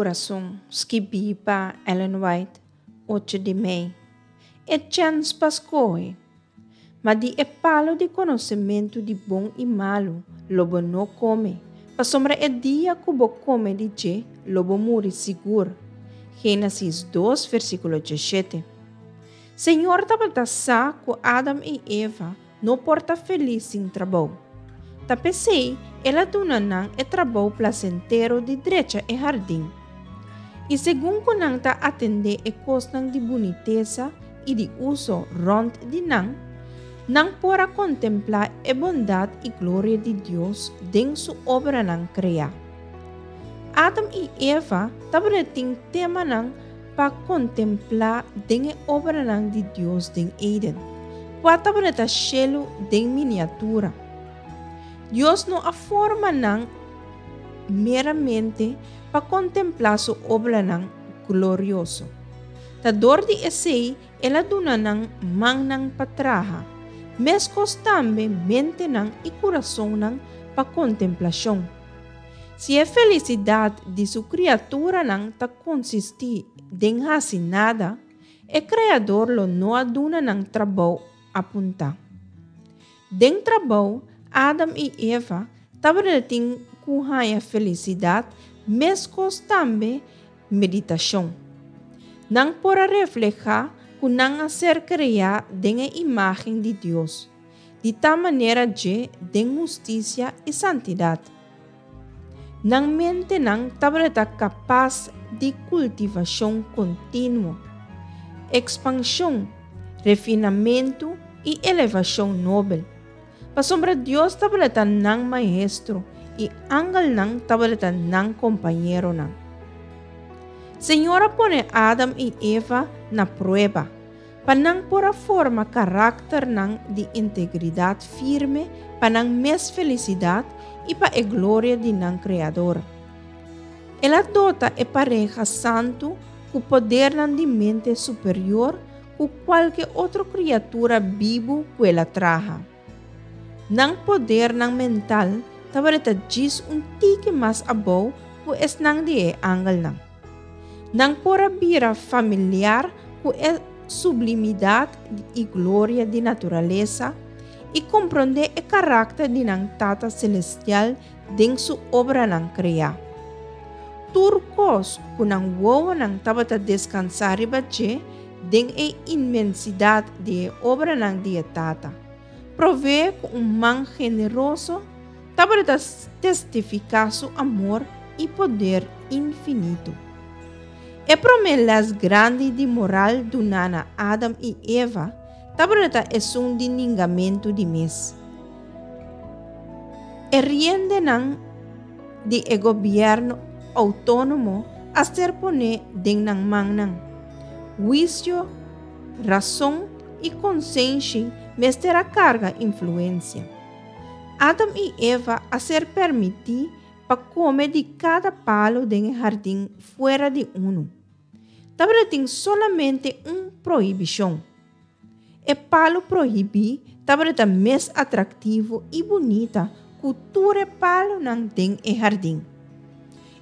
Kurason, skibí pa Ellen White, ocho di mei. E chèns pa skohe. Ma di e palu di konosementu di bon i malu lo bo no kome, pasobra e dia ku bo kome di dje lo bo muri sigur. Génesis dos, versíkulo diesshete. Señor tabata sa ku Adam i Eva no por ta felis sin trabou. Ta p'esei el a duna nan e trabou plasentero di drecha e hardin. I segun ku nan ta atendé e kosnan di bunitesa i di uso rònt di nan, nan por a kontemplá e bondat i gloria di Dios den su obranan kreá. Adam i Eva tabatin temanan pa kontemplá den e obranan di Dios den Eden, kua tabata shelu den miniatura. Dios no a forma nan meramente pa kontemplá su obranan glorioso. Ta dor di esei el a duna nan mannan pa traha, meskos tambe mentenan i kurasonnan pa kontemplashon. Si e felisidat di su kriaturanan ta konsistí den hasi nada, e Kreador lo no a duna nan trabou apuntá. Den trabou, Adam i Eva tabatin ku haña felisidat meskos tambe meditashon. Nan por a reflehá ku nan a ser kreá den e imágen di Dios. Di tal manera dje den hustisia i santidat. Nan mentenan tabata kapas di kultivashon kontinuo, ekspanshon, refinamentu i elevashon nobel, pasobra Dios tabata nan Maestro i angelnan tabata nan kompañeronan. Señor a pone Adam i Eva na prueba. Pa nan por a forma karakternan di integridat firme pa nan mes felisidat i pa e gloria di nan Kreador. El a dota e pareha santu ku podernan di mente superior ku kualke otro kriatura bibu ku el a traha. Nan podernan mental tabata djis un tiki mas abou ku esnan di e angelnan. Nan por a bira familiar ku e sublimidat i gloria di naturalesa i komprondé e karakter di nan Tata Selestial den Su obranan kreá. Tur kos ku nan wowonan tabata deskansá riba dje den e inmensidat di e obranan di e Tata, proveé ku un man generoso, Tabata testifiká su amor i poder infinito. E promé lès grandi di moral duná na Adam i Eva tabata esun di ningamentu di mes. E riendenan di e gobièrnu outónomo a ser poné den nan mannan. Huisio, rason i konsenshi mester a karga influensia. Adam i Eva a ser permití pa kome di kada palu den e hardin fuera di unu. Tabatin solamente un prohibishon. E palu prohibí tabata mes atraktivo i bunita ku tur e palunan den e hardin.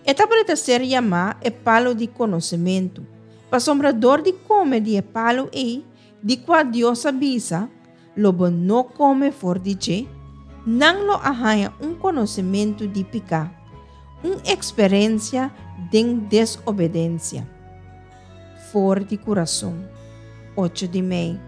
E tabata ser yamá e palu di konosementu, pasobra dor di kome di e palu ei, di kua Dios a bisa, Lo bo no kome for di dje, nan lo a haña un konosementu di piká, un eksperensia den desobedensia. For di kurason, ocho di mei.